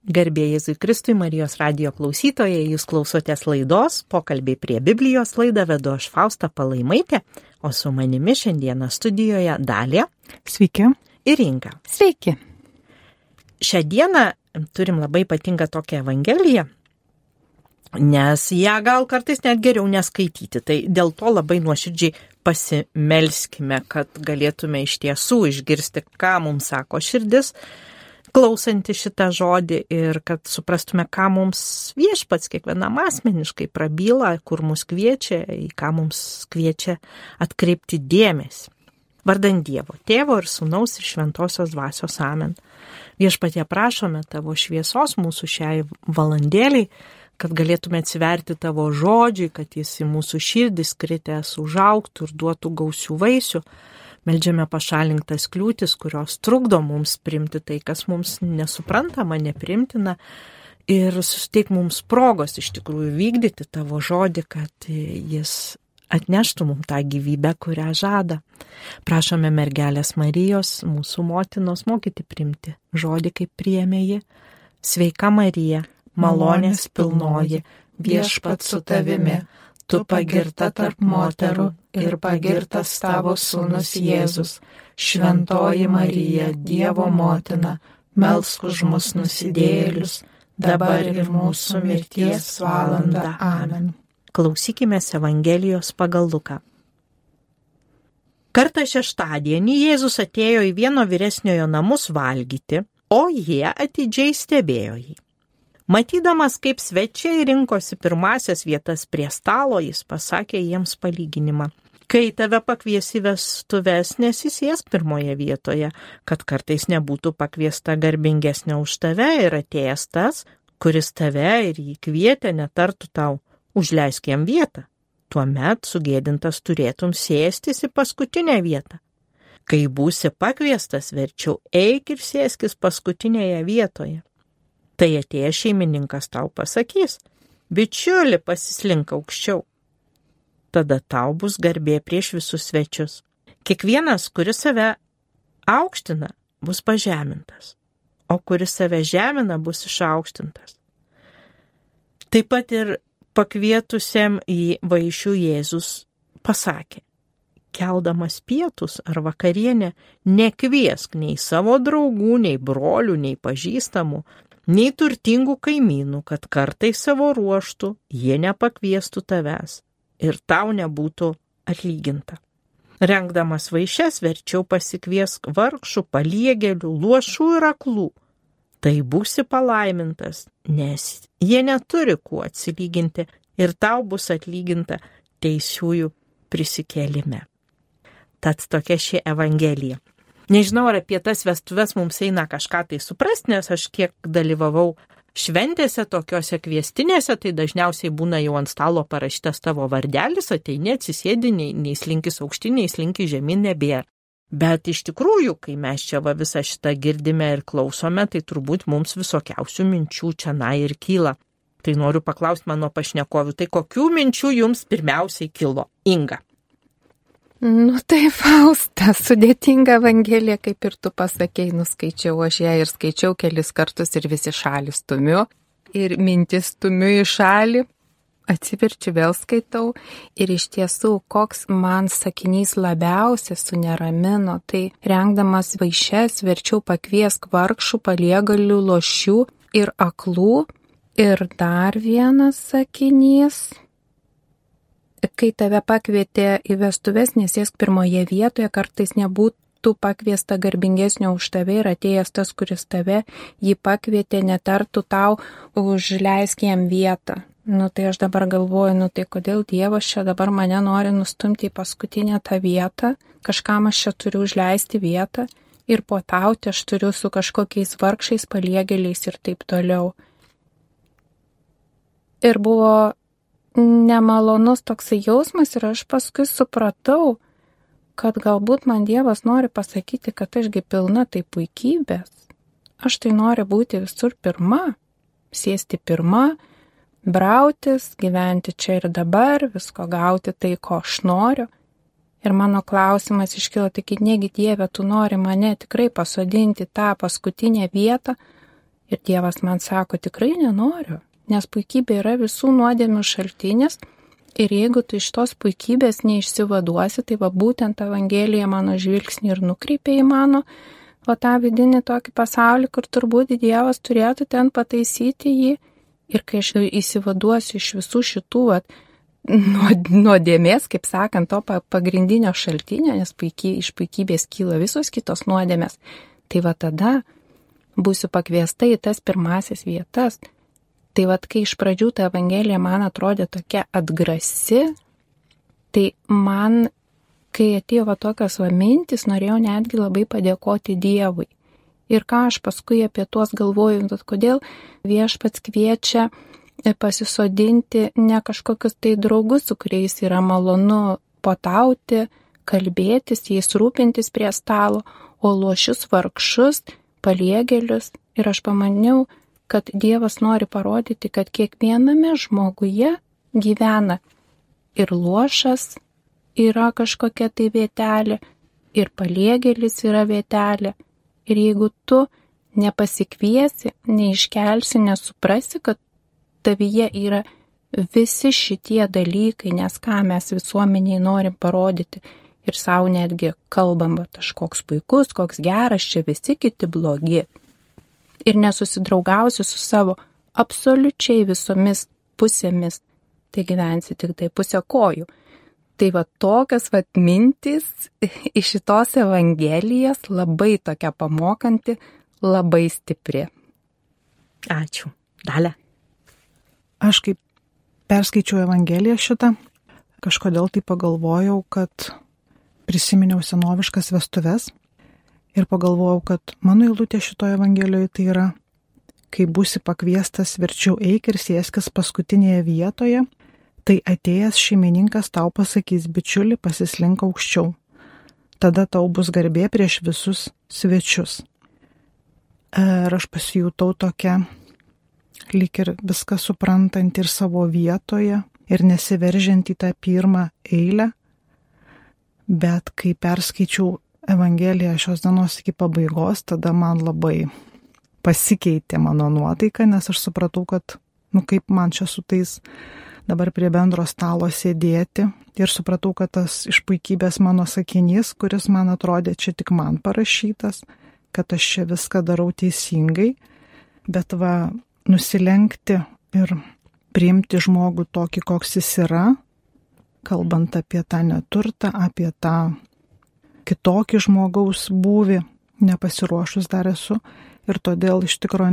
Garbė Jėzui Kristui, Marijos radijo klausytojai, jūs klausotės laidos Pokalbiai prie Biblijos, laidą vedu aš Fausta Palaimaitė, o su manimi šiandieną studijoje Dalė. Sveiki. Ir Inga. Sveiki. Šią dieną turim labai ypatingą tokią evangeliją, nes ją gal kartais net geriau neskaityti, tai dėl to labai nuoširdžiai pasimelskime, kad galėtume iš tiesų išgirsti, ką mums sako širdis, klausanti šitą žodį ir kad suprastume, ką mums viešpats kiekvienam asmeniškai prabyla, kur mus kviečia, į ką mums kviečia atkreipti dėmesį. Vardant Dievo, Tėvo ir Sūnaus ir Šventosios Dvasios amen. Viešpatie prašome tavo šviesos mūsų šiai valandėliai, kad galėtume atsiverti tavo žodžiui, kad jis į mūsų širdis kritęs užaugtų ir duotų gausių vaisių. Meldžiame pašalinktas kliūtis, kurios trukdo mums priimti tai, kas mums nesuprantama, neprimtina ir suteik mums progos iš tikrųjų vykdyti tavo žodį, kad jis atneštų mums tą gyvybę, kurią žada. Prašome mergelės Marijos, mūsų motinos, mokyti priimti žodį, kaip priėmė ji. Sveika Marija, malonės pilnoji, viešpats su tavimi. Tu pagirta tarp moterų ir pagirtas tavo sūnus Jėzus. Šventoji Marija, Dievo motina, melsk už mus nusidėjėlius, dabar ir mūsų mirties valandą. Amen. Klausykimės Evangelijos pagal Luką. Kartą šeštadienį Jėzus atėjo į vieno vyresniojo namus valgyti, o jie atidžiai stebėjo jį. Matydamas, kaip svečiai rinkosi pirmasias vietas prie stalo, jis pasakė jiems palyginimą. Kai tave pakvies į vestuves, nesisėsk pirmoje vietoje, kad kartais nebūtų pakviesta garbingesnė už tave ir atėjęs tas, kuris tave ir jį kvietė, netartų tau, užleisk jam vietą. Tuomet sugėdintas turėtum sėstis į paskutinę vietą. Kai būsi pakviestas, verčiau eik ir sėskis paskutinėje vietoje. Tai atėjęs šeimininkas tau pasakys, bičiuli, pasislink aukščiau. Tada tau bus garbė prieš visus svečius. Kiekvienas, kuris save aukština, bus pažemintas, o kuris save žemina, bus išaukštintas. Taip pat ir pakvietusiam į vaišių Jėzus pasakė, keldamas pietus ar vakarienę, nekviesk nei savo draugų, nei brolių, nei pažįstamų, nei turtingų kaimynų, kad kartais savo ruoštų jie nepakviestų tavęs ir tau nebūtų atlyginta. Rengdamas vaišes verčiau pasikviesk vargšų, paliegėlių, luošų ir aklų. Tai būsi palaimintas, nes jie neturi kuo atsilyginti ir tau bus atlyginta teisiųjų prisikėlime. Tad tokia ši evangelija. Nežinau, ar apie tas vestuves mums eina kažką tai suprasti, nes aš kiek dalyvavau šventėse, tokiose kviestinėse, tai dažniausiai būna jau ant stalo parašytas tavo vardelis, ateini, atsisėdi, nei slinkis aukštyn, nei slinkis žemyn nebėra. Bet iš tikrųjų, kai mes čia visą šitą girdime ir klausome, tai turbūt mums visokiausių minčių čia ir kyla. Tai noriu paklausti mano pašnekovių, tai kokių minčių jums pirmiausiai kilo? Inga. Tai Fausta, sudėtinga evangelija, kaip ir tu pasakėjai, nuskaičiau aš ją ir skaičiau kelis kartus ir visi šalį stumiu. Ir mintis stumiu į šalį, atsiverčiu vėl skaitau. Ir iš tiesų, koks man sakinys labiausiai suneramino, tai rengdamas vaišes verčiau pakviesk vargšų, paliegalių, lošių ir aklų. Ir dar vienas sakinys. Kai tave pakvietė į vestuves, nesėsk pirmoje vietoje, kartais nebūtų pakviesta garbingesnio už tave ir atėjęs tas, kuris tave jį pakvietė, netartų tau, užleisk jam vietą. Tai aš dabar galvoju, tai kodėl Dievas čia dabar mane nori nustumti į paskutinę tą vietą, kažkam aš čia turiu užleisti vietą ir puotauti aš turiu su kažkokiais vargšais, paliegėliais ir taip toliau. Ir buvo nemalonus toksai jausmas ir aš paskui supratau, kad galbūt man Dievas nori pasakyti, kad ašgi pilna tai puikybės. Aš tai noriu būti visur pirma, sėsti pirma, brautis, gyventi čia ir dabar, visko gauti tai, ko aš noriu. Ir mano klausimas iškilo, tik negi Dieve, tu nori mane tikrai pasodinti tą paskutinę vietą Ir Dievas man sako, tikrai nenoriu, nes puikybė yra visų nuodėmių šaltinis ir jeigu tu iš tos puikybės neišsivaduosi, tai va būtent Evangelija mano žvilgsnį ir nukreipia į mano tą vidinį tokį pasaulį, kur turbūt Dievas turėtų ten pataisyti jį. Ir kai aš įsivaduosiu iš visų šitų nuodėmės, kaip sakant, to pagrindinio šaltinio, nes iš puikybės kyla visos kitos nuodėmės, tai va tada būsiu pakviesta į tas pirmasis vietas. Tai va, kai iš pradžių ta Evangelija man atrodė tokia atgrasi, tai man, kai atėjo va tokios mintis, norėjau netgi labai padėkoti Dievui. Ir ką aš paskui apie tuos galvoju, kodėl Viešpats kviečia pasisodinti ne kažkokius tai draugus, su kuriais yra malonu potauti, kalbėtis, jais rūpintis prie stalo, o luošius vargšus, paliegėlius. Ir aš pamaniau, kad Dievas nori parodyti, kad kiekviename žmoguje gyvena ir luošas yra kažkokia tai vietelė, ir paliegėlis yra vietelė. Ir jeigu tu nepasikviesi, neiškelsi, nesuprasi, kad tavyje yra visi šitie dalykai, nes ką mes visuomeniai norim parodyti ir savo netgi kalbam, bet aš koks puikus, koks geras, čia visi kiti blogi. Ir nesusidraugausi su savo absoliučiai visomis pusėmis, tai gyvensi tik tai pusę kojų. Tai va tokios mintys iš šitos Evangelijos labai tokia pamokanti, labai stipri. Ačiū. Dalia. Aš kaip perskaičiau Evangeliją šitą, kažkodėl tai pagalvojau, kad prisiminiau senoviškas vestuves ir pagalvojau, kad mano eilutė šitoje Evangelijoje tai yra, kai būsi pakviestas, verčiau eik ir sėskis paskutinėje vietoje, tai atėjęs šeimininkas tau pasakys, bičiuli, pasislink aukščiau. Tada tau bus garbė prieš visus svečius. Ir aš pasijutau tokia, lyg ir viską suprantant ir savo vietoje ir nesiveržiant į tą pirmą eilę, bet kai perskaičiau Evangeliją šios dienos iki pabaigos, tada man labai pasikeitė mano nuotaika, nes aš supratau, kad, kaip man čia su tais dabar prie bendro stalo sėdėti ir supratau, kad tas iš puikybės mano sakinys, kuris man atrodė čia tik man parašytas, kad aš čia viską darau teisingai, bet nusilenkti ir priimti žmogų tokį, koks jis yra, kalbant apie tą neturtą, apie tą kitokį žmogaus būvį, nepasiruošus dar esu ir todėl iš tikrųjų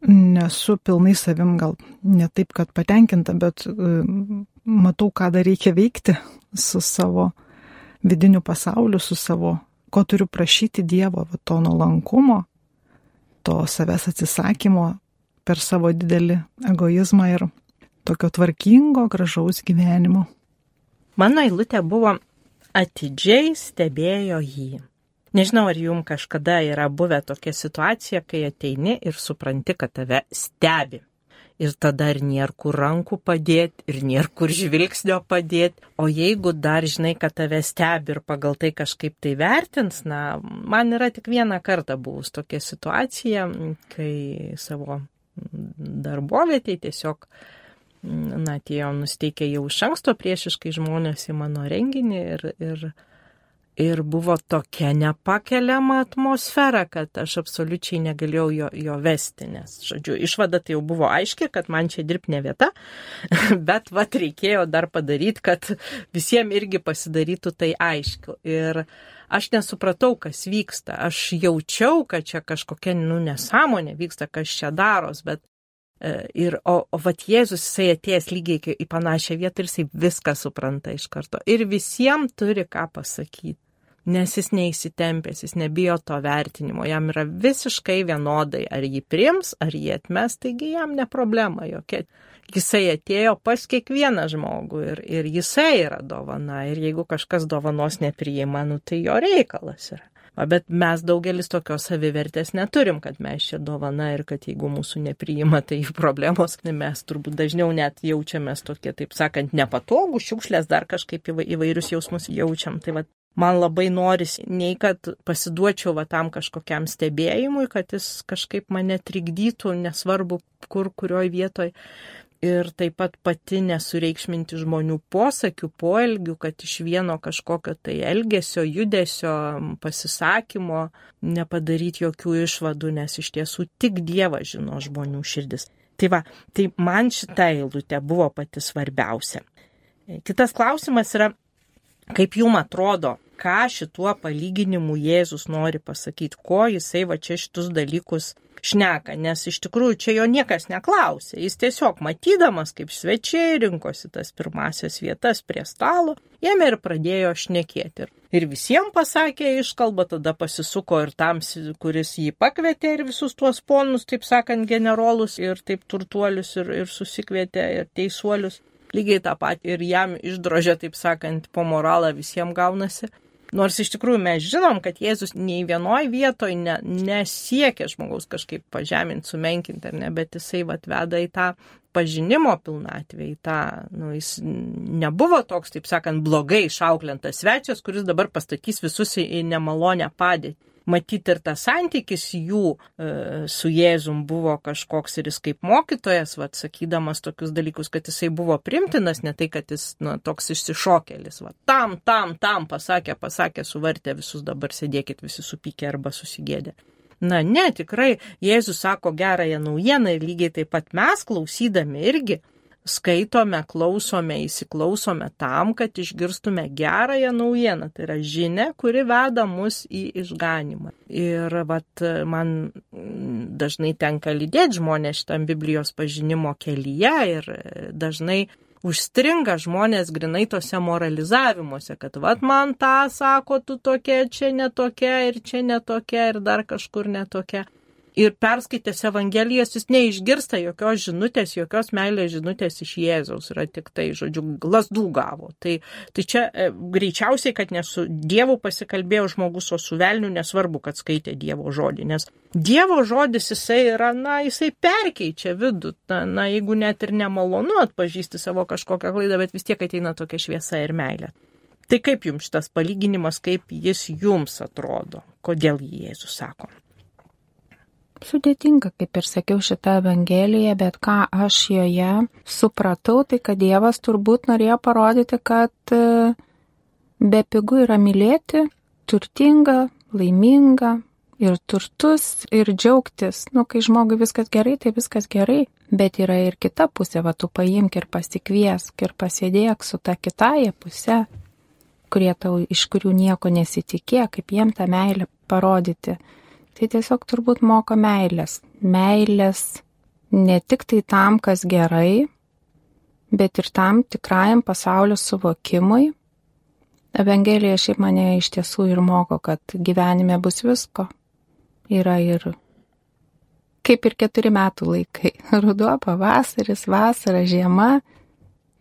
nesu pilnai savim, gal ne taip, kad patenkinta, bet matau, ką dar reikia veikti su savo vidiniu pasauliu, su savo, ko turiu prašyti Dievo, to nuolankumo, to savęs atsisakymo per savo didelį egoizmą ir tokio tvarkingo, gražaus gyvenimo. Mano eilutė buvo atidžiai stebėjo jį. Nežinau, ar jums kažkada yra buvę tokia situacija, kai ateini ir supranti, kad tave stebi. Ir tada ir nėra kur rankų padėti, ir nėra kur žvilgsnio padėti. O jeigu dar žinai, kad tave stebi ir pagal tai kažkaip tai vertins, man yra tik vieną kartą buvus tokia situacija, kai savo darbovietėje tiesiog, atėjo nusteikę jau iš anksto priešiškai žmonės į mano renginį ir buvo tokia nepakeliama atmosfera, kad aš absoliučiai negalėjau jo vesti, nes, žodžiu, išvada tai jau buvo aiški, kad man čia dirbti ne vieta, bet reikėjo dar padaryti, kad visiems irgi pasidarytų tai aišku. Ir aš nesupratau, kas vyksta. Aš jaučiau, kad čia kažkokia nesąmonė vyksta, kas čia daros, bet Jėzus, jisai atėjęs lygiai į panašią vietą ir jisai viską supranta iš karto. Ir visiems turi ką pasakyti. Nes jis neįsitempęs, jis nebijo to vertinimo, jam yra visiškai vienodai, ar jį priims, ar jį atmes, taigi jam ne problema jokia. Jisai atėjo pas kiekvieną žmogų ir jisai yra dovana, ir jeigu kažkas dovanos nepriima, tai jo reikalas yra. Bet mes daugelis tokios savivertės neturim, kad mes čia dovana ir kad jeigu mūsų nepriima, tai problemos, mes turbūt dažniau net jaučiamės tokie, taip sakant, nepatogų, šiukšlės, dar kažkaip įvairius jausmus jaučiam. Tai man labai norisi, nei kad pasiduočiau tam kažkokiam stebėjimui, kad jis kažkaip mane trikdytų, nesvarbu kur, kurioj vietoj. Ir taip pat pati nesureikšminti žmonių posakių, poelgių, kad iš vieno kažkokio tai elgesio, judesio, pasisakymo nepadaryti jokių išvadų, nes iš tiesų tik Dievas žino žmonių širdis. Tai man šita eilutė buvo pati svarbiausia. Kitas klausimas yra, kaip jums atrodo, ką šituo palyginimu Jėzus nori pasakyti, ko jisai čia šitus dalykus šneka, nes iš tikrųjų čia jo niekas neklausė. Jis tiesiog matydamas, kaip svečiai rinkosi tas pirmasias vietas prie stalo, ėmė ir pradėjo šnekėti. Ir visiems pasakė iškalbą, tada pasisuko ir tam, kuris jį pakvietė ir visus tuos ponus, taip sakant, generolus ir taip turtuolius ir susikvietė ir teisuolius. Lygiai tą patį ir jam išdrožė, taip sakant, po moralą visiems gaunasi. Nors iš tikrųjų mes žinom, kad Jėzus nei vienoj vietoj nesiekia žmogaus kažkaip pažeminti, sumenkinti, bet jisai veda į tą pažinimo pilnatvę, į tą, jis nebuvo toks, taip sakant, blogai išauklintas svečias, kuris dabar pastatys visus į nemalonę padėtį. Matyti ir tas santykis jų su Jėzum buvo kažkoks ir jis kaip mokytojas, sakydamas tokius dalykus, kad jisai buvo primtinas, ne tai, kad jis toks išsišokėlis. Tam pasakė, suvartė visus, dabar sėdėkit visi supykę arba susigėdę. Ne, tikrai Jėzus sako gerąją naujieną ir lygiai taip pat mes klausydami irgi skaitome, klausome, įsiklausome tam, kad išgirstume gerąją naujieną. Tai yra žinia, kuri veda mus į išganimą. Ir man dažnai tenka lydėti žmonės šitam Biblijos pažinimo kelyje ir dažnai užstringa žmonės grinai tose moralizavimuose, kad man tą sako, tu tokia, čia netokia ir čia netokia ir dar kažkur netokia. Ir perskaitęs Evangelijas jis neišgirsta jokios žinutės, jokios meilės žinutės iš Jėzaus, yra tik tai, lasdų gavo. Tai čia greičiausiai, kad ne su Dievu pasikalbėjo žmogus, o su velniu, nesvarbu, kad skaitė Dievo žodį, nes Dievo žodis jisai yra, jisai perkeičia vidų, jeigu net ir nemalonu atpažįsti savo kažkokią klaidą, bet vis tiek ateina tokia šviesa ir meilė. Tai kaip jums šitas palyginimas, kaip jis jums atrodo, kodėl Jėzus sako? Sudėtinga, kaip ir sakiau, šitą Evangeliją, bet ką aš joje supratau, tai kad Dievas turbūt norėjo parodyti, kad bepigu yra mylėti, turtinga, laiminga ir turtus ir džiaugtis. Kai žmogui viskas gerai, tai viskas gerai, bet yra ir kita pusė, tu paimk ir pasikviesk ir pasėdėk su ta kitaja pusė, iš kurių nieko nesitikė, kaip jiem tą meilę parodyti. Tai tiesiog turbūt moko meilės. Meilės ne tik tai tam, kas gerai, bet ir tam tikrajam pasaulio suvokimui. Evangelija šiaip mane iš tiesų ir moko, kad gyvenime bus visko. Yra ir kaip ir 4 metų laikai. Ruduo, pavasaris, vasara, žiema,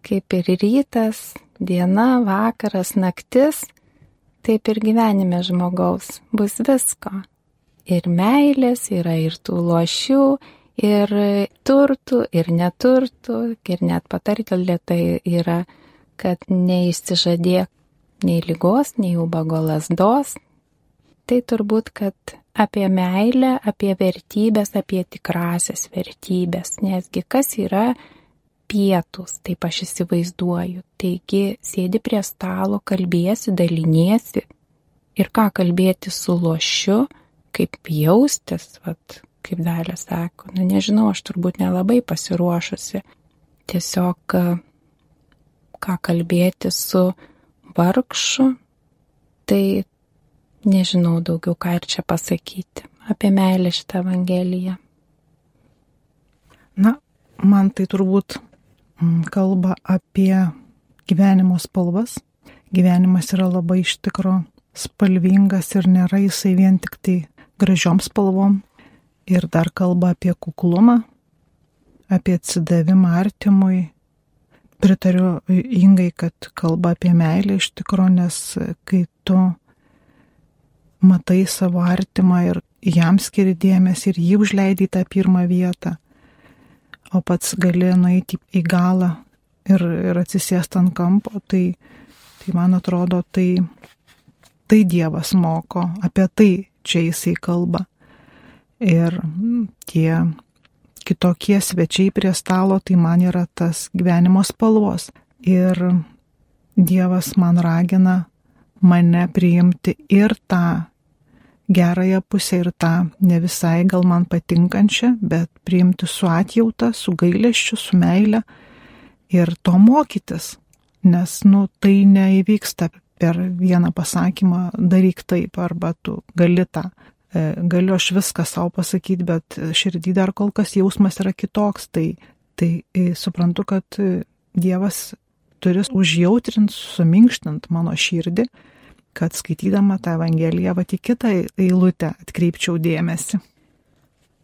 kaip ir rytas, diena, vakaras, naktis. Taip ir gyvenime žmogaus bus visko. Ir meilės, yra ir tų lošių, ir turtų, ir neturtų, ir net patartilė tai yra, kad neišsižadėk nei ligos, nei ubago lazdos. Tai turbūt, kad apie meilę, apie vertybės, apie tikrasias vertybės, nesgi kas yra pietūs, taip aš įsivaizduoju. Taigi sėdi prie stalo, kalbėsi, daliniesi ir ką kalbėti su lošiu, kaip jaustis, kaip Dalia sako, nežinau, aš turbūt nelabai pasiruošusi. Tiesiog ką kalbėti su vargšu, tai nežinau daugiau ką ir čia pasakyti apie meilę šitą Evangeliją. Man tai turbūt kalba apie gyvenimo spalvas. Gyvenimas yra labai iš tikro spalvingas ir nėra jisai vien tik tai gražiom spalvom. Ir dar kalba apie kuklumą, apie atsidavimą artimui. Pritariu Ingai, kad kalba apie meilę iš tikro, nes kai tu matai savo artimą ir jam skiri dėmesį ir jį užleidai tą pirmą vietą, o pats gali nueiti į galą ir atsisėsti ant kampo, tai man atrodo, tai tai Dievas moko, apie tai čia jisai kalba. Ir tie kitokie svečiai prie stalo, tai man yra tas gyvenimo spalvos. Ir Dievas man ragina mane priimti ir tą gerąją pusę, ir tą ne visai gal man patinkančią, bet priimti su atjauta, su gailesčiu, su meile ir to mokytis. Nes, tai neįvyksta per vieną pasakymą, daryk taip, arba tu gali tą. Galiu aš viską savo pasakyti, bet širdį dar kol kas jausmas yra kitoks. Tai suprantu, kad Dievas turi užjautrint, suminkštint mano širdį, kad skaitydama tą Evangeliją į kitą eilutę atkreipčiau dėmesį.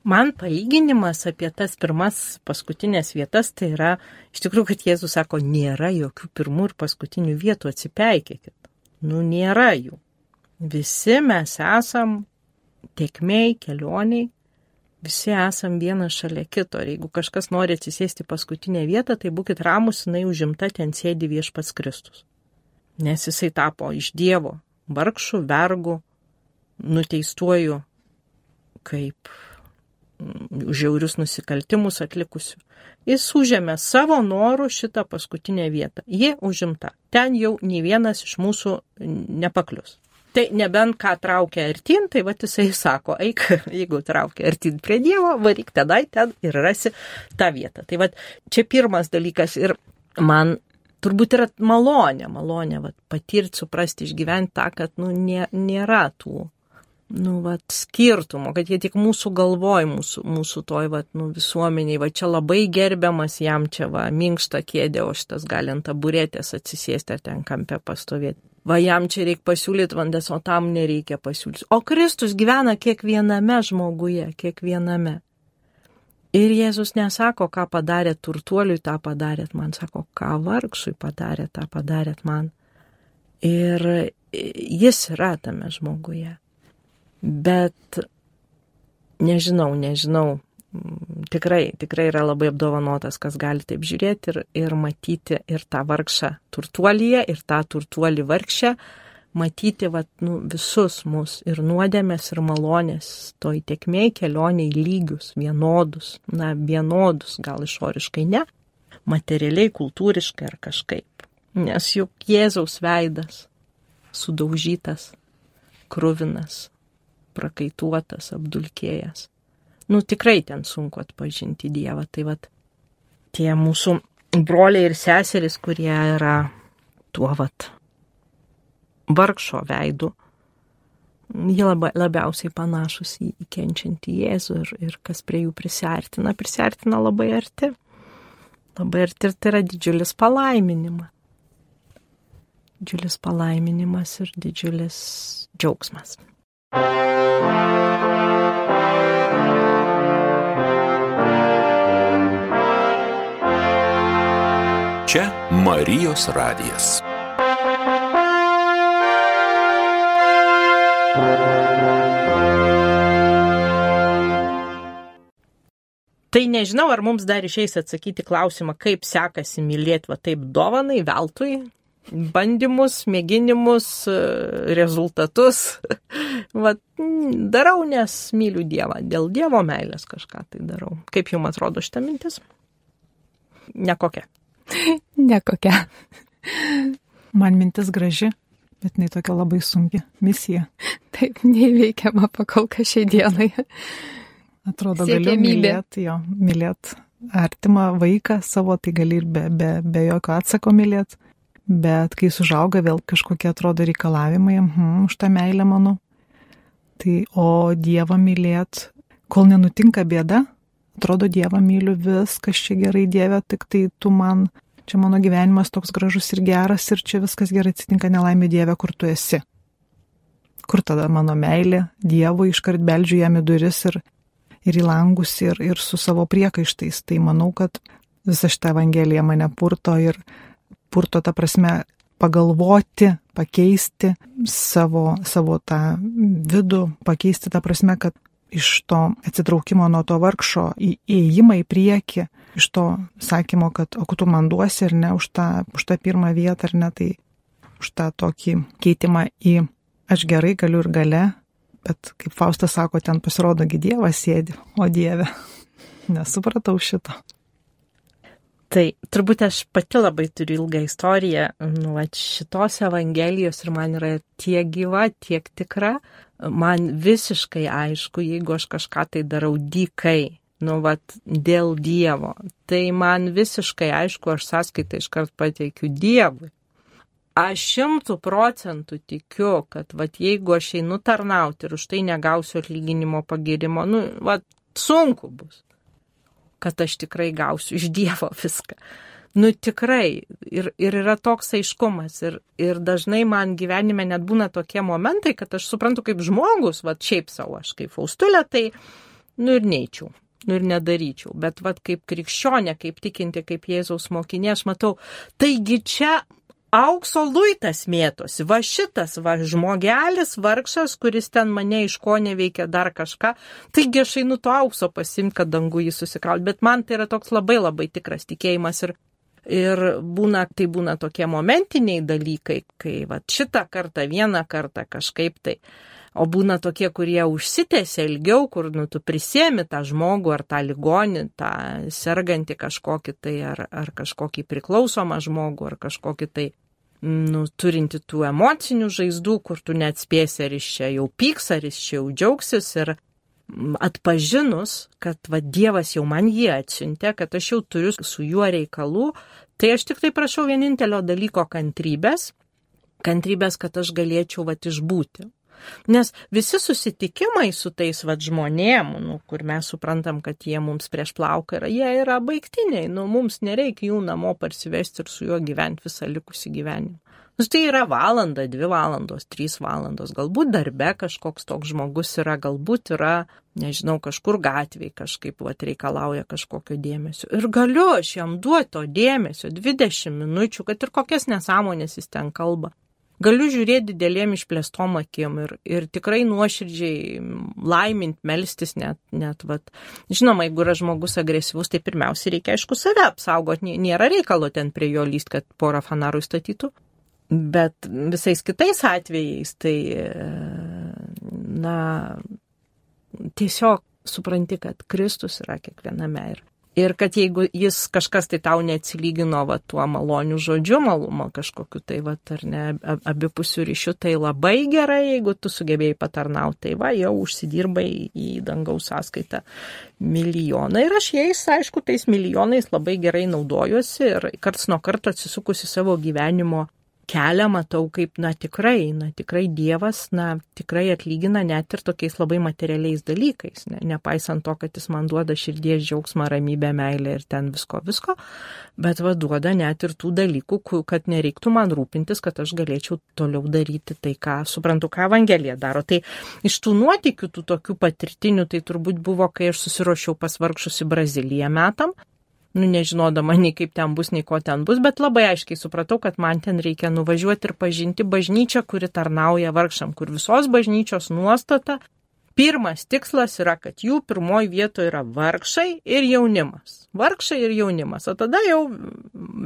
Man palyginimas apie tas pirmas paskutinės vietas, tai yra, iš tikrųjų, kad Jėzus sako, nėra jokių pirmų ir paskutinių vietų, atsipeikėkit. Nėra jų. Visi mes esam tėkmėj, kelioniai, visi esam vienas šalia kito. Ir jeigu kažkas nori atsisėsti paskutinę vietą, tai būkit ramus, jinai užimta, ten sėdi Viešpats Kristus. Nes jisai tapo iš Dievo vargšų, vergų, nuteistuoju kaip žiaurius nusikaltimus atlikusių. Jis užėmė savo norų šitą paskutinę vietą. Ji užimta. Ten jau nei vienas iš mūsų nepaklius. Tai nebent ką traukia artin, tai jisai sako, eik, jeigu traukia artin prie Dievo, varyk tenai, ten ir rasi tą vietą. Tai čia pirmas dalykas ir man turbūt yra malonė patirti, suprasti, išgyventi tą, kad nėra tų skirtumo, kad jie tik mūsų galvoj, mūsų toj visuomeniai, čia labai gerbiamas, jam čia minkšta kėdė, o šitas gali ant taburetės atsisėsti ar ten kampe pastovėti. Jam čia reikia pasiūlyti vandens, o tam nereikia pasiūlyti. O Kristus gyvena kiekviename žmoguje, kiekviename. Ir Jėzus nesako, ką padarėt turtuoliui, tą padarėt man, sako, ką vargšui padarėt, tą padarėt man. Ir jis yra tame žmoguje. Bet nežinau, tikrai yra labai apdovanotas, kas gali taip žiūrėti ir matyti ir tą vargšą turtuolyje, ir tą turtuolį vargšę, matyti visus mus ir nuodėmės, ir malonės, toj tėkmėj kelioniai lygius, vienodus, gal išoriškai ne, materialiai, kultūriškai ar kažkaip. Nes juk Jėzaus veidas sudaužytas, kruvinas, prakaituotas, apdulkėjęs. Tikrai ten sunku atpažinti Dievą. Tai tie mūsų broliai ir seserys, kurie yra tuo vargšo veidu, jie labiausiai panašus į kenčiantį Jėzų ir kas prie jų prisiartina labai arti. Labai arti ir tai yra didžiulis palaiminimas. Didžiulis palaiminimas ir didžiulis džiaugsmas. Čia Marijos radijas. Tai nežinau, ar mums dar išeis atsakyti klausimą, kaip sekasi mylėti taip dovanai, veltui, bandymus, mėginimus, rezultatus. Darau, nes myliu Dievą. Dėl Dievo meilės kažką tai darau. Kaip jums atrodo šita mintis? Nekokia. Nekokia. Man mintis graži, bet jinai tokia labai sunki misija. Taip, neįveikiama pakol kas šiai dienai. Atrodo, galiu mylėti artimą vaiką savo, tai gali ir be jokio atsako mylėti. Bet kai sužauga vėl kažkokie atrodo reikalavimai, už tą meilę mano. Tai o Dievą mylėt, kol nenutinka bėda, atrodo Dievą myliu, viskas čia gerai Dieve, tik tai tu man, čia mano gyvenimas toks gražus ir geras ir čia viskas gerai atsitinka, nelaimė Dieve, kur tu esi. Kur tada mano meilė Dievui, iškart beldžiu jam į duris ir į langus ir su savo priekaištais. Tai manau, kad visa šita Evangelija mane purto ta prasme pagalvoti, pakeisti savo tą vidų, pakeisti tą prasme, kad iš to atsitraukimo nuo to vargšo įėjimą į priekį, iš to sakymo, kad o tu man duosi ar ne už tą pirmą vietą ar ne, tai už tą tokį keitimą į aš gerai galiu ir gale, bet kaip Faustas sako, ten pasirodo Dievas sėdi, o Dieve, nesupratau šito. Tai turbūt aš pati labai turiu ilgą istoriją, šitos Evangelijos ir man yra tiek gyva, tiek tikra, man visiškai aišku, jeigu aš kažką tai darau dykai, dėl Dievo, tai man visiškai aišku, aš sąskaitą iškart pateikiu Dievui. Aš 100% tikiu, kad jeigu aš einu tarnauti ir už tai negausiu atlyginimo pagirimo, sunku bus, kad aš tikrai gausiu iš Dievo viską. Tikrai. Ir yra toks aiškumas. Ir dažnai man gyvenime net būna tokie momentai, kad aš suprantu kaip žmogus, šiaip savo, aš kaip Faustulė, tai, ir neičiau. Ir nedaryčiau. Bet kaip krikščionė, kaip tikinti, kaip Jėzaus mokinė, aš matau, taigi čia aukso luitas mėtosi. Šitas žmogelis, vargšas, kuris ten mane iš ko neveikia dar kažką. Taigi aš einu to aukso pasimti, kad dangų jį susikrauti. Bet man tai yra toks labai labai tikras tikėjimas. Ir būna tokie momentiniai dalykai, kai šitą kartą, vieną kartą kažkaip tai. O būna tokie, kurie užsitęsia ilgiau, kur tu prisiemi tą žmogų ar tą ligonį, tą sergantį kažkokį tai, ar kažkokį priklausomą žmogų, ar kažkokį tai turinti tų emocinių žaizdų, kur tu neatspėsi, ar jis čia jau pyks, ar jis čia jau džiaugsis. Ir atpažinus, kad Dievas jau man jį atsiuntė, kad aš jau turiu su juo reikalų, tai aš tik tai prašau vienintelio dalyko kantrybės, kad aš galėčiau išbūti. Nes visi susitikimai su tais žmonėm, kur mes suprantam, kad jie mums prieš plauką yra, jie yra baigtiniai, mums nereikia jų namo parsivesti ir su juo gyventi visą likusį gyvenimą. Tai yra valanda, 2 valandos, 3 valandos, galbūt darbe kažkoks toks žmogus yra, galbūt yra, nežinau, kažkur gatvėje kažkaip reikalauja kažkokio dėmesio. Ir galiu aš jam duoti to dėmesio 20 minučių, kad ir kokias nesąmonės jis ten kalba. Galiu žiūrėti didelėm išplėstom akim ir tikrai nuoširdžiai laimint, melstis net. Žinoma, jeigu yra žmogus agresyvus, tai pirmiausia reikia, aišku, save apsaugoti. Nėra reikalo ten prie jo lyst, kad porą fanarų įstatytų. Bet visais kitais atvejais, tai, tiesiog supranti, kad Kristus yra kiekviename ir kad jeigu jis kažkas tai tau neatsilygino tuo maloniu žodžiu, kažkokiu tai, ar ne, abipusių ryšių, tai labai gerai, jeigu tu sugebėjai patarnauti, tai jau užsidirbai į dangaus sąskaitą milijoną. Ir aš jais, aišku, tais milijonais labai gerai naudojuosi ir karts nuo karto atsisukusi savo gyvenimo kelią matau, kaip, tikrai Dievas, tikrai atlygina net ir tokiais labai materialiais dalykais, nepaisant to, kad jis man duoda širdies džiaugsmą, ramybę, meilę ir ten visko, bet duoda net ir tų dalykų, kad nereiktų man rūpintis, kad aš galėčiau toliau daryti tai, ką suprantu, ką Evangelija daro. Tai iš tų nuotykių, tų tokių patirtinių, tai turbūt buvo, kai aš susiruošiau pas vargšus į Braziliją metam, nežinodama nei kaip ten bus, nei ko ten bus, bet labai aiškiai supratau, kad man ten reikia nuvažiuoti ir pažinti bažnyčią, kuri tarnauja vargšam, kur visos bažnyčios nuostata, pirmas tikslas yra, kad jų pirmoji vietoje yra vargšai ir jaunimas. Vargšai ir jaunimas, o tada jau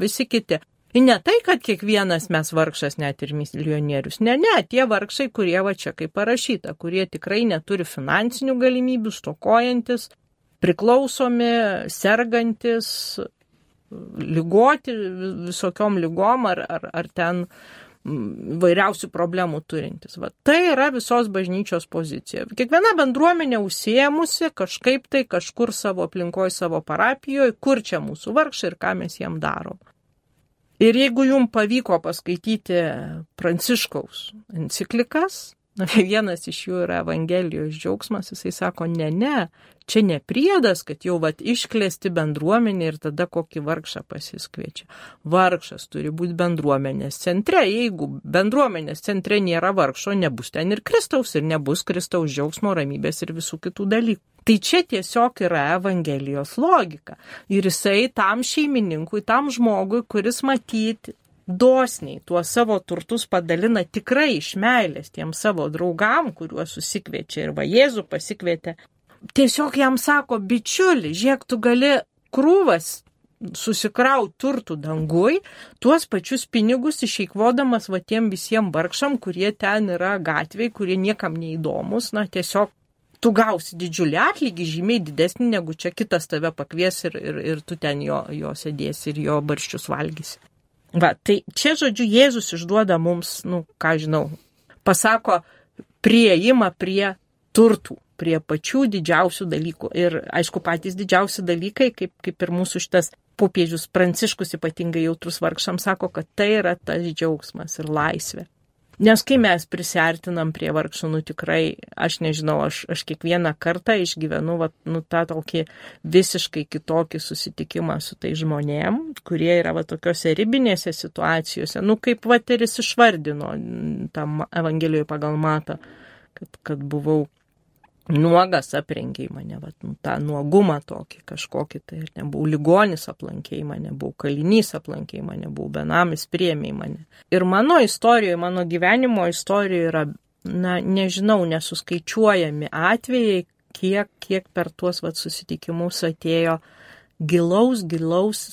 visi kiti. Ir ne tai, kad kiekvienas mes vargšas, net ir milijonierius. Ne, tie vargšai, kurie čia kaip parašyta, kurie tikrai neturi finansinių galimybių, stokojantis, priklausomi, sergantis, ligoti visokiom lygom ar ten vairiausių problemų turintis. Tai yra visos bažnyčios pozicija. Kiekviena bendruomenė užsiėmusi kažkaip tai kažkur savo aplinkoje, savo parapijoje, kur čia mūsų vargšai ir ką mes jiem darom. Ir jeigu jums pavyko paskaityti Pranciškaus enciklikas, vienas iš jų yra Evangelijos džiaugsmas, jisai sako, ne, čia ne priedas, kad jau išklesti bendruomenė ir tada kokį vargšą pasiskviečia. Vargšas turi būti bendruomenės centre. Jeigu bendruomenės centre nėra vargšo, nebus ten ir Kristaus, ir nebus Kristaus džiaugsmo, ramybės ir visų kitų dalykų. Tai čia tiesiog yra Evangelijos logika. Ir jisai tam šeimininkui, tam žmogui, kuris matyti dosniai tuos savo turtus padalina tikrai iš meilės tiem savo draugam, kuriuos susikviečia ir Jėzų pasikvietė. Tiesiog jam sako, bičiuli, žiūrėk, tu gali krūvas susikraut turtų dangui, tuos pačius pinigus išeikvodamas va tiem visiems vargšam, kurie ten yra gatvėje, kurie niekam neįdomus, tiesiog tu gausi didžiulį atlygį, žymiai didesnį, negu čia kitas tave pakvies ir tu ten jo sėdėsi ir jo barščius valgysi. Va, tai čia, žodžiu, Jėzus išduoda mums, pasako prieimą prie turtų, prie pačių didžiausių dalykų. Ir, aišku, patys didžiausi dalykai, kaip ir mūsų šitas popiežius Pranciškus ypatingai jautrus vargšams sako, kad tai yra tas džiaugsmas ir laisvė. Nes kai mes prisiartinam prie vargšų, tikrai, aš nežinau, aš kiekvieną kartą išgyvenu tą tokį visiškai kitokį susitikimą su tai žmonėm, kurie yra tokiose ribinėse situacijose, kaip ir jis išvardino tam Evangelijoje pagal Matą, kad buvau nuogas, aprengė mane, tą nuogumą tokį kažkokį, tai nebuvau ligonis, aplankė mane, buvau kalinys, aplankė mane, buvau benamis, priėmė mane. Ir mano istorijoje, mano gyvenimo istorijoje yra, nežinau, nesuskaičiuojami atvejai, kiek per tuos susitikimus atėjo gilaus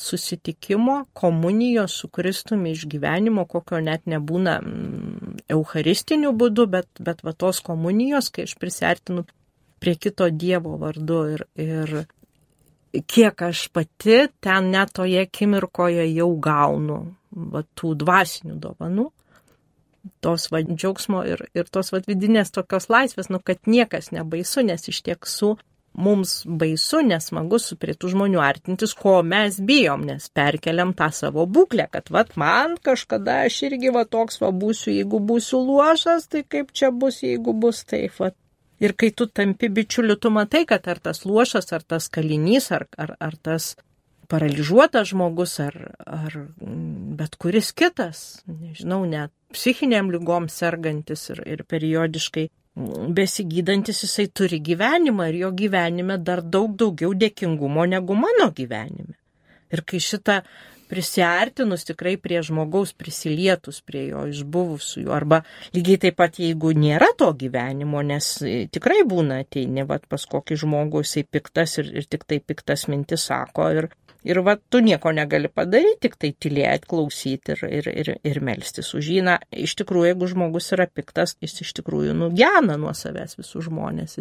susitikimo, komunijos su Kristumi išgyvenimo, kokio net nebūna eucharistiniu būdu, bet tos komunijos, kai aš prisiartinu prie kito Dievo vardu ir kiek aš pati ten net toje akimirkoje jau gaunu tų dvasinių dovanų, tos džiaugsmo ir tos vidinės tokios laisvės, kad niekas nebaisu, nes iš tiesų mums baisu, nesmagu su prie tų žmonių artintis, ko mes bijom, nes perkeliam tą savo būklę, kad man kažkada aš irgi toks būsiu, jeigu būsiu luošas, tai kaip čia bus, jeigu bus taip. Ir kai tu tampi bičiuliu, tu matai, kad ar tas luošas, ar tas kalinys, ar tas paralyžiuotas žmogus, ar bet kuris kitas, nežinau, net psichiniam lygom sergantis ir periodiškai besigydantis, jisai turi gyvenimą ir jo gyvenime dar daug daugiau dėkingumo negu mano gyvenime. Ir kai šitą prisiartinus tikrai prie žmogaus, prisilietus prie jo, išbuvusių, arba lygiai taip pat, jeigu nėra to gyvenimo, nes tikrai būna ateini, pas kokį žmogų jisai piktas ir tik tai piktas mintis sako ir tu nieko negali padaryti, tik tai tylėti, klausyti ir melstis už jį. Iš tikrųjų, jeigu žmogus yra piktas, jis iš tikrųjų gena nuo savęs visus žmonės,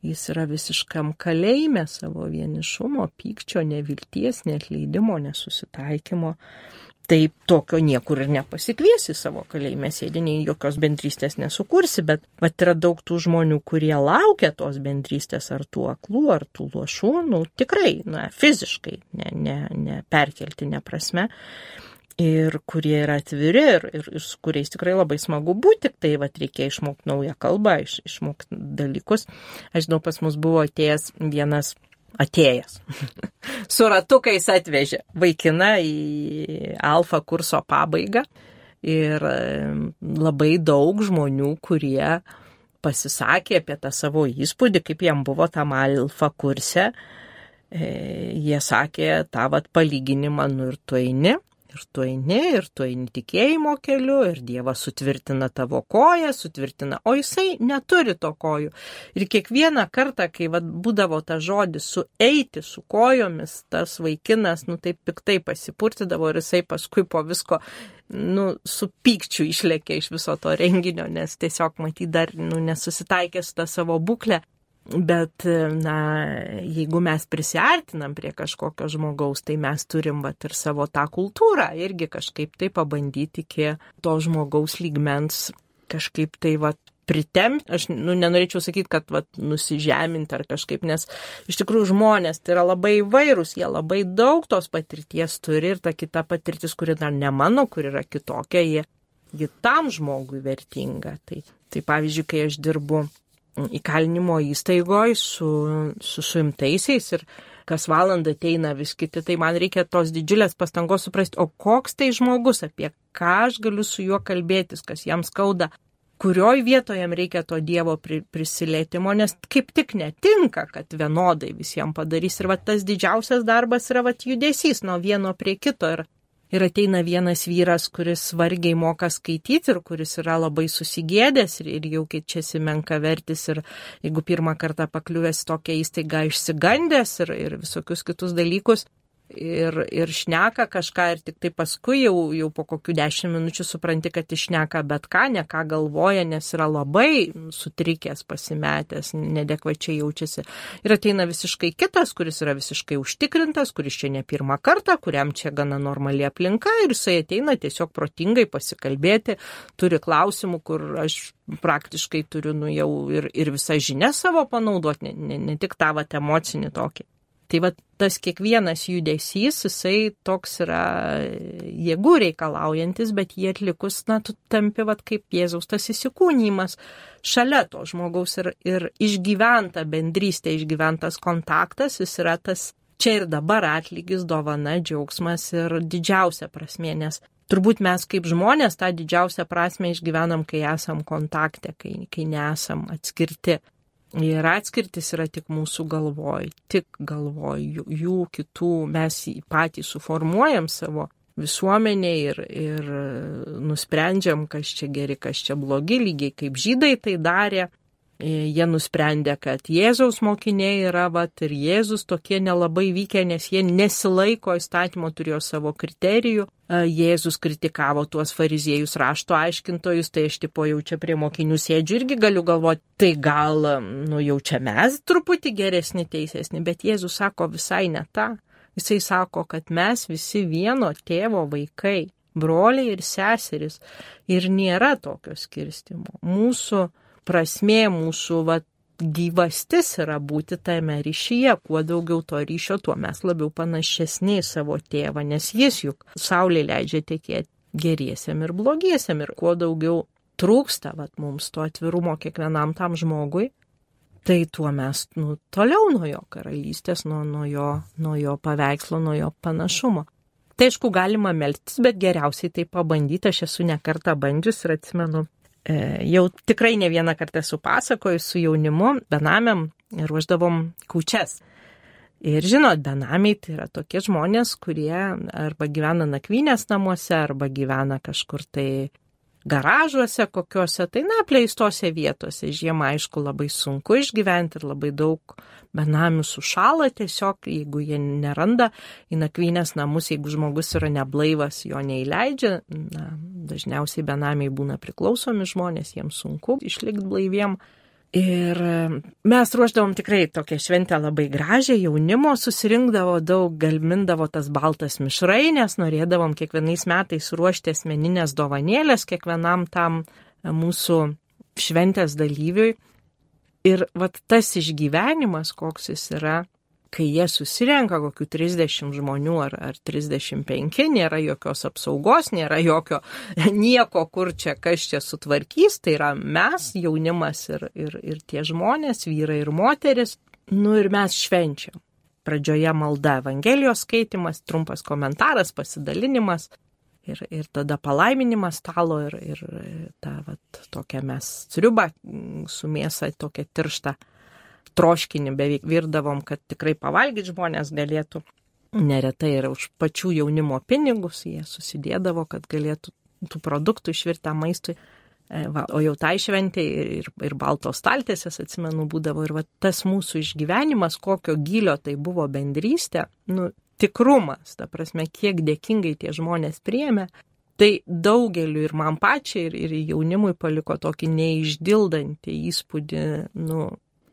jis yra visiškam kalėjime savo vienišumo, pykčio, nevilties, neatleidimo, nesusitaikymo. Tai tokio niekur ir nepasikviesi savo kalėjime sėdiniai, jokios bendrystės nesukursi, bet yra daug tų žmonių, kurie laukia tos bendrystės, ar tų aklų, ar tų luošų, tikrai, fiziškai, ne perkeltinė prasme. Ir kurie yra atviri ir su kuriais tikrai labai smagu būti, tik tai reikia išmokti naują kalbą, išmokti dalykus. Aš žinau, pas mus buvo atėjęs su ratukais atvežė vaikiną į alfa kurso pabaigą ir labai daug žmonių, kurie pasisakė apie tą savo įspūdį, kaip jam buvo tam alfa kurse. Jie sakė tą palyginimą, ir tu eini tikėjimo keliu, ir Dievas sutvirtina tavo koją, o jisai neturi to kojų. Ir kiekvieną kartą, kai būdavo ta žodis sueiti su kojomis, tas vaikinas, taip piktai pasipurtydavo ir jisai paskui po visko, su pykčiu išlėkė iš viso to renginio, nes tiesiog matyt dar, nesusitaikė su tą savo būklę. Bet, jeigu mes prisiartinam prie kažkokio žmogaus, tai mes turim ir savo tą kultūrą irgi kažkaip tai pabandyti iki to žmogaus lygmens kažkaip tai pritemti. Aš nenorėčiau sakyti, kad nusižeminti ar kažkaip, nes iš tikrųjų žmonės tai yra labai įvairūs, jie labai daug tos patirties turi ir ta kita patirtis, kuri dar ne mano, kur yra kitokia, ji tam žmogui vertinga. Tai pavyzdžiui, kai aš dirbu įkalinimo įstaigoje su suimtaisiais ir kas valandą ateina vis kiti, tai man reikia tos didžiulės pastangos suprasti, o koks tai žmogus, apie ką aš galiu su juo kalbėtis, kas jam skauda, kurioj vietoje jam reikia to Dievo prisilietimo, nes kaip tik netinka, kad vienodai visiems padarys. Ir tas didžiausias darbas yra judesys nuo vieno prie kito. Ir ateina vienas vyras, kuris vargiai moka skaityti ir kuris yra labai susigėdęs ir jau keičiasi menkavertis ir jeigu pirmą kartą pakliuvęs tokią įstaigą išsigandęs ir visokius kitus dalykus. ir šneka kažką ir tik tai paskui jau po kokių 10 minučių supranti, kad išneka bet ką, ne ką galvoja, nes yra labai sutrikęs, pasimetęs, nedekvačiai jaučiasi. Ir ateina visiškai kitas, kuris yra visiškai užtikrintas, kuris čia ne pirmą kartą, kuriam čia gana normali aplinka ir jisai ateina tiesiog protingai pasikalbėti, turi klausimų, kur aš praktiškai turiu jau ir visą žinią savo panaudoti, ne tik tą emocinį tokį. Tai tas kiekvienas judesys, jisai toks yra jėgų reikalaujantis, bet jį atlikus, tu tampi kaip Jėzaus tas įsikūnymas šalia to žmogaus ir išgyventa bendrystė, išgyventas kontaktas, jis yra tas čia ir dabar atlygis, dovana, džiaugsmas ir didžiausia prasmė, nes turbūt mes kaip žmonės tą didžiausią prasmę išgyvenam, kai esam kontakte, kai nesam atskirti. Ir atskirtis yra tik mūsų galvoj, jų kitų, mes patys suformuojam savo visuomenę ir nusprendžiam, kas čia geri, kas čia blogi, lygiai kaip žydai tai darė. Jie nusprendė, kad Jėzaus mokiniai yra, ir Jėzus tokie nelabai vykę, nes jie nesilaiko įstatymo, turėjo savo kriterijų. Jėzus kritikavo tuos fariziejus rašto aiškintojus, tai aš jau čia prie mokinių sėdžiu irgi galiu galvoti, tai gal, jau čia mes truputį geresni, teisesni, bet Jėzus sako visai ne tą. Jisai sako, kad mes visi vieno tėvo vaikai, broliai ir seseris, ir nėra tokio skirstimo. Mūsų prasmė, mūsų gyvastis yra būti tame ryšyje. Kuo daugiau to ryšio, tuo mes labiau panašesni į savo tėvą, nes jis juk saulė leidžia tekėti geriesiam ir blogiesiam. Ir kuo daugiau trūksta mums to atvirumo kiekvienam tam žmogui, tai tuo mes toliau nuo jo karalystės, nuo jo paveikslo, nuo jo panašumo. Tai aišku, galima melstis, bet geriausiai tai pabandyti. Aš esu ne kartą bandžius ir atsimenu, jau tikrai ne vieną kartą esu pasakojus su jaunimu, benamiam, ruošdavom kūčias. Ir žinot, benamiai tai yra tokie žmonės, kurie arba gyvena nakvynės namuose, arba gyvena kažkur tai garažuose kokiuose, tai apleistose vietose. Žiemą, aišku, labai sunku išgyventi ir labai daug benamių sušala tiesiog, jeigu jie neranda į nakvynės namus, jeigu žmogus yra neblaivas, jo neįleidžia. Dažniausiai benamiai būna priklausomi žmonės, jiems sunku išlikti blaiviem. Ir mes ruošdavom tikrai tokią šventę labai gražią, jaunimo susirinkdavo daug, galmindavo tas baltas mišrainės, norėdavom kiekvienais metais ruošti asmeninės dovanėlės kiekvienam tam mūsų šventės dalyviui. Ir tas išgyvenimas, koks jis yra, kai jie susirenka kokių 30 žmonių ar 35, nėra jokios apsaugos, nėra jokio nieko, kur čia, kas čia sutvarkys, tai yra mes, jaunimas ir tie žmonės, vyrai ir moteris, ir mes švenčiam. Pradžioje malda, Evangelijos skaitimas, trumpas komentaras, pasidalinimas ir tada palaiminimas stalo ir ta tokia mes sriubą su mėsa, tokia tiršta troškinį beveik virdavom, kad tikrai pavalgyti žmonės galėtų. Neretai ir už pačių jaunimo pinigus jie susidėdavo, kad galėtų tų produktų išvirtą maistui. O jau tai šventė ir baltos staltiesės, atsimenu, būdavo. Ir tas mūsų išgyvenimas, kokio gylio tai buvo bendrystė, tikrumas, ta prasme, kiek dėkingai tie žmonės priėmė, tai daugeliu ir man pačiai ir jaunimui paliko tokį neišdildantį įspūdį,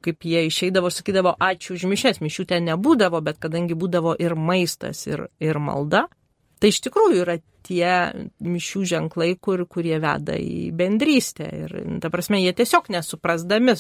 kaip jie išeidavo, sakydavo, ačiū už mišias, mišių ten nebūdavo, bet kadangi būdavo ir maistas, ir malda, tai iš tikrųjų yra tie mišių ženklai, kurie veda į bendrystę. Ir, ta prasme, jie tiesiog nesuprasdami,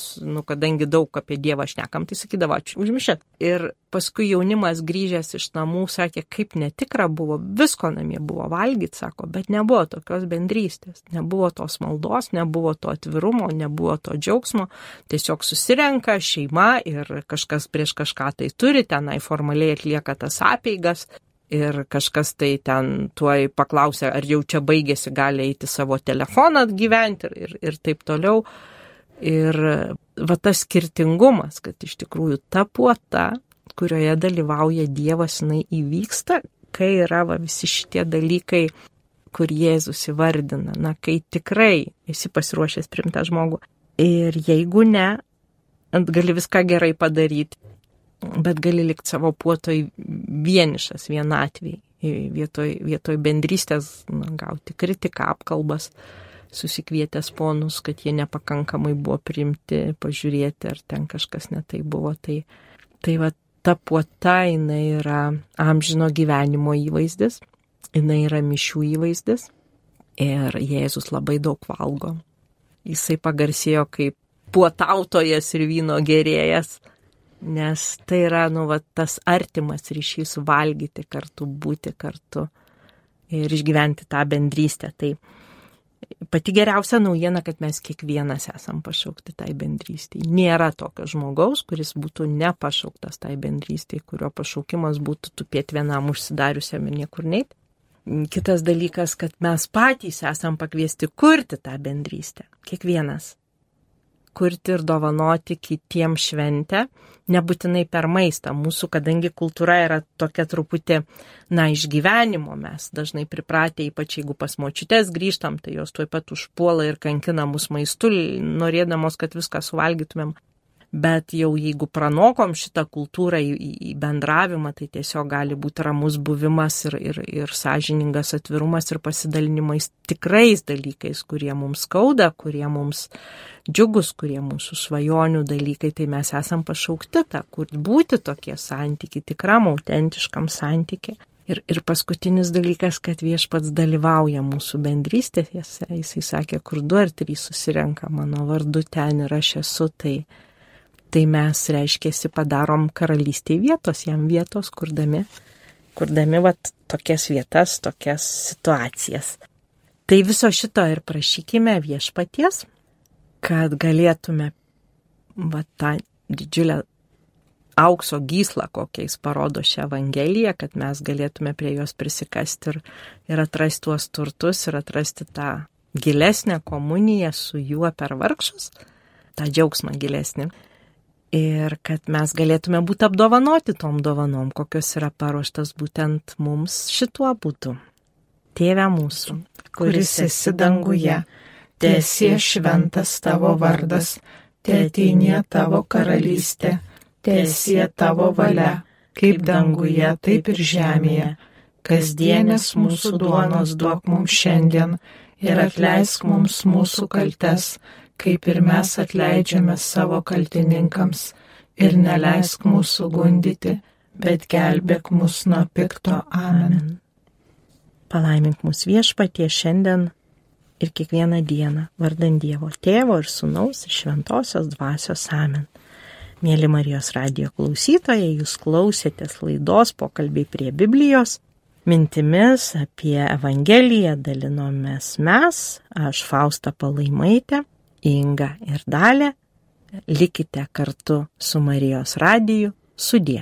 kadangi daug apie Dievą šnekam, tai sakydavo, ačiū už mišias. Ir paskui jaunimas grįžęs iš namų sakė, kaip netikra buvo, visko namie buvo valgyti, sako, bet nebuvo tokios bendrystės, nebuvo tos maldos, nebuvo to atvirumo, nebuvo to džiaugsmo, tiesiog susirenka šeima ir kažkas prieš kažką tai turi, tenai formaliai atlieka tas apeigas. Ir kažkas tai ten tuoj paklausė, ar jau čia baigėsi, gali eiti savo telefoną atgyventi ir taip toliau. Ir tas skirtingumas, kad iš tikrųjų ta puota, kurioje dalyvauja Dievas, jinai įvyksta, kai yra visi šitie dalykai, kur Jėzus įvardina, kai tikrai esi pasiruošęs priimti tą žmogų. Ir jeigu ne, gali viską gerai padaryti, bet gali likti savo puotoj vienišas, vienatviai, vietoj bendrystės gauti kritiką, apkalbas, susikvietęs ponus, kad jie nepakankamai buvo priimti, pažiūrėti, ar ten kažkas netai buvo. Tai va, ta puota, jinai yra amžino gyvenimo įvaizdis, jinai yra mišių įvaizdis ir Jėzus labai daug valgo. Jisai pagarsėjo kaip puotautojas ir vyno gėrėjas, nes tai yra, tas artimas ryšys valgyti kartu, būti kartu ir išgyventi tą bendrystę. Tai pati geriausia naujiena, kad mes kiekvienas esam pašaukti tai bendrystei. Nėra tokio žmogaus, kuris būtų nepašauktas tai bendrystei, kurio pašaukimas būtų tupėti vienam užsidariusiam ir niekur neit. Kitas dalykas, kad mes patys esam pakviesti kurti tą bendrystę. Kiekvienas. Kurti ir dovanoti kitiems šventę, nebūtinai per maistą. Mūsų, kadangi kultūra yra tokia truputį, išgyvenimo, mes dažnai pripratę, ypač jeigu pas močiutes grįžtam, tai jos tuoj pat užpuola ir kankina mus maistu, norėdamos, kad viską suvalgytumėm. Bet jau jeigu pranokom šitą kultūrą į bendravimą, tai tiesiog gali būti ramus buvimas ir sąžiningas atvirumas ir pasidalinimais tikrais dalykais, kurie mums skauda, kurie mums džiugus, kurie mūsų svajonių dalykai, tai mes esam pašaukti tą, kur būti tokie santykiai, tikram, autentiškam santykiai. Ir paskutinis dalykas, kad Viešpats dalyvauja mūsų bendrystėse, jisai sakė, kur 2 ar 3 susirenka mano vardu, ten ir aš esu, tai mes, reiškiasi, padarom karalystėje vietos, jam vietos, kurdami tokias vietas, tokias situacijas. Tai viso šito ir prašykime Viešpaties, kad galėtume tą didžiulę aukso gyslą, kokiais parodo šią Evangeliją, kad mes galėtume prie jos prisikasti ir atrasti tuos turtus ir atrasti tą gilesnę komuniją su juo per vargšus, tą džiaugsmą gilesnį. Ir kad mes galėtume būti apdovanoti tom dovanom, kokios yra paruoštas būtent mums šituo būdu. Tėve mūsų, kuris esi danguje, teesie šventas tavo vardas, teateinie tavo karalystė, teesie tavo valia, kaip danguje, taip ir žemėje. Kasdienės mūsų duonos duok mums šiandien ir atleisk mums mūsų kaltes, kaip ir mes atleidžiame savo kaltininkams, ir neleisk mūsų gundyti, bet gelbėk mus nuo pikto. Amen. Palaimink mus Viešpatie šiandien ir kiekvieną dieną, vardan Dievo Tėvo ir Sūnaus ir Šventosios Dvasios. Amen. Mėly Marijos radijo klausytojai, jūs klausėtės laidos Pokalbiai prie Biblijos. Mintimis apie Evangeliją dalinomės mes, aš Fausta Palaimaitė, Inga ir Dalė. Likite kartu su Marijos radiju. Sudie.